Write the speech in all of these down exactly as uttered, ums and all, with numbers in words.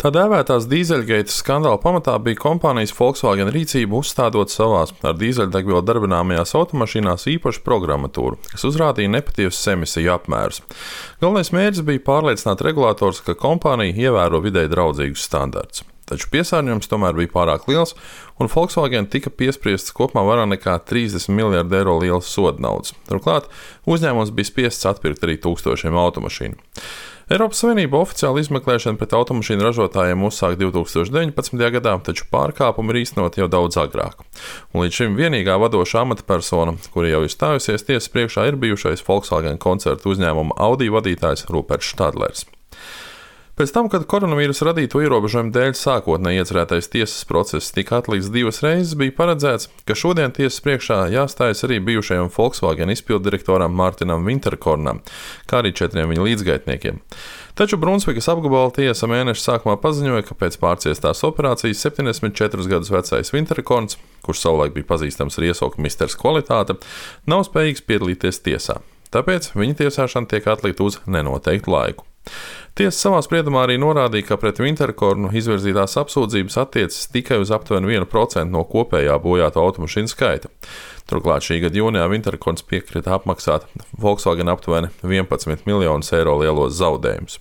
Tā dēvētās dīzeļgeitas skandāla pamatā bija kompānijas Volkswagen rīcība uzstādot savās ar dīzeļdegvielu darbināmajās automašīnās īpašu programmatūru, kas uzrādīja nepatiesas emisiju apmērus. Galvenais mērķis bija pārliecināt regulātors, ka kompānija ievēro videi draudzīgus standartus. Taču piesārņojums tomēr bija pārāk liels, un Volkswagen tika piespriests kopumā vairāk nekā trīsdesmit miljardu eiro liels soda naudas. Turklāt uzņēmums bija spiests atpirkt arī tūkstošiem automašīnu. Eiropas Savienība oficiāli izmeklēšanu pret automašīnu ražotājiem uzsāka divi tūkstoši deviņpadsmitajā gadā, taču pārkāpumi ir īstenoti jau daudz agrāk. Un līdz šim vienīgā vadošā amatpersona, kura jau ir stājusies tiesas priekšā, ir bijušais Volkswagen koncertu uzņēmuma Audi vadītājs Ruperts Štadlers. Pēc tam, kad koronavīrusa radīto ierobežojumu dēļ sākotnēji iecerētais tiesas process tika atlikts divas reizes, bija paredzēts, ka šodien tiesas priekšā jāstājas arī bijušajam Volkswagen izpilddirektoram Mārtinam Vinterkornam, kā arī četriem viņa līdzgaitniekiem. Taču Brunsvikas apgabala tiesa mēneša sākumā paziņoja, ka pēc pārciestās operācijas septiņdesmit četrus gadus vecais Vinterkorns, kurš savulaik bija pazīstams ar iesauku misters Kvalitāte, nav spējīgs piedalīties tiesā. Tāpēc viņa tiesāšana tiek atlikta uz nenoteiktu laiku. Tiesa savā spriedumā arī norādīja, ka pret Vinterkornu izvirzītās apsūdzības attiecas tikai uz aptuveni vienu procentu no kopējā bojāto automašīnu skaita. Turklāt šī gada jūnijā Vinterkorns piekrita apmaksāt Volkswagen aptuveni vienpadsmit miljonus eiro lielos zaudējumus.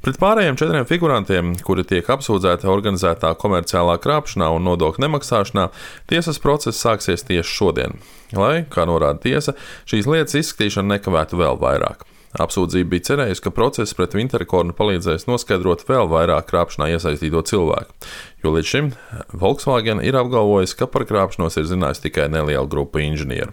Pret pārējiem četriem figurantiem, kuri tiek apsūdzēti organizētā komerciālā krāpšanā un nodokļu nemaksāšanā, tiesas process sāksies tieši šodien, lai, kā norāda tiesa, šīs lietas izskatīšana nekavētu vēl vairāk. Apsūdzība bija cerējusi, ka process pret Vinterkornu palīdzēs noskaidrot vēl vairāk krāpšanā iesaistīto cilvēku, jo līdz šim Volkswagen ir apgalvojis, ka par krāpšanos ir zinājis tikai neliela grupa inženieru.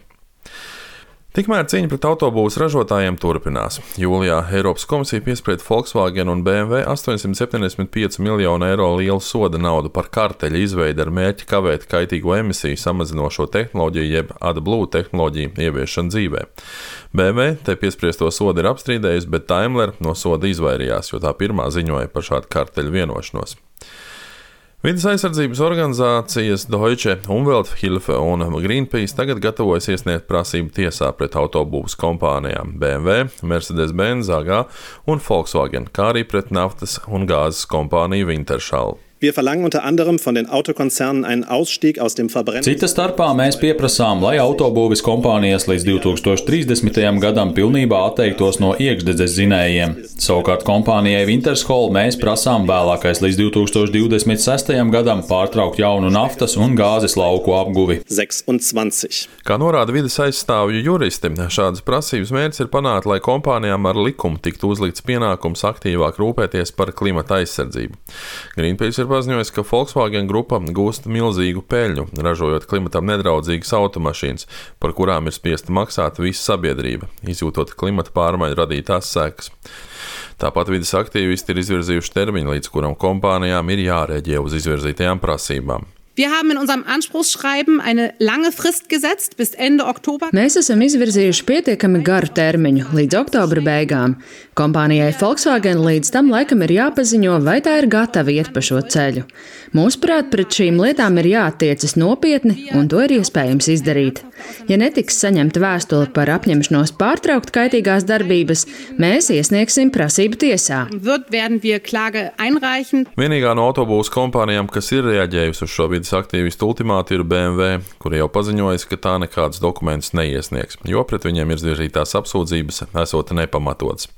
Tikmēr cīņa pret autobūvas ražotājiem turpinās. Jūlijā Eiropas komisija piesprieda Volkswagen un B M W astoņsimt septiņdesmit pieci miljonu eiro lielu soda naudu par karteļa izveidi ar mērķi kavēt kaitīgo emisiju samazinošo tehnoloģiju jeb AdBlue tehnoloģiju ieviešanu dzīvē. B M W te piespriesto sodu ir apstrīdējusi, bet Daimler no soda izvairījās, jo tā pirmā ziņoja par šādu karteļu vienošanos. Vides aizsardzības organizācijas Deutsche Umwelthilfe un Greenpeace tagad gatavojas iesniegt prasību tiesā pret autobūvas kompānijām B M W, Mercedes-Benz A G un Volkswagen, kā arī pret naftas un gāzes kompāniju Wintershall. Wir verlangen unter anderem von den Autokonzernen einen Ausstieg aus dem Verbrenner. Cita starpā mēs pieprasām, lai autobūves kompānijas līdz divi tūkstoši trīsdesmitajam gadam pilnībā atteiktos no iekšdedzes dzinējiem. Savukārt kompānijai Wintershall mēs prasām vēlākais līdz divi tūkstoši divdesmit sestajam gadam pārtraukt jaunu naftas un gāzes lauku apguvi. sešsdesmit. Kā norāda vides aizstāvju juristi, šādas prasības mērķis ir panākt, lai kompānijām ar likumu tiktu uzlikts pienākums aktīvāk rūpēties par klimata aizsardzību. Greenpeace ir paziņojis, ka Volkswagen grupa gūst milzīgu peļņu, ražojot klimatam nedraudzīgas automašīnas, par kurām ir spiesta maksāt visa sabiedrība, izjūtot klimata pārmaiņu radītās sekas. Tāpat vides aktīvisti ir izvirzījuši termiņu, līdz kuram kompānijām ir jārēģē uz izvirzītajām prasībām. Wir haben in unserem Anspruchsschreiben eine lange Frist gesetzt bis Ende Oktober. Mēs esam izvirzījuši pietiekami garu termiņu līdz oktobra beigām. Kompānijai Volkswagen līdz tam laikam ir jāpaziņo, vai tā ir gatava iet pa šo ceļu. Mūsuprāt, pret šīm lietām ir jāattiecas nopietni, un to ir iespējams izdarīt. Ja netiks saņemta vēstule par apņemšanos pārtraukt kaitīgās darbības, mēs iesniegsim prasību tiesā. Vienīgā no autobūvas kompānijām, kas ir reaģējusi uz šo vides aktīvistu ultimātu, ir B M W, kuri jau paziņojas, ka tā nekādus dokumentus neiesniegs, jo pret viņiem ir izvirzītās apsūdzības esot nepamatotas.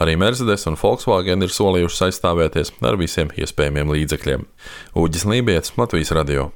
Arī Mercedes un Volkswagen ir solījuši aizstāvēties ar visiem iespējamiem līdzekļiem. Uģis Lībietis, Latvijas radio.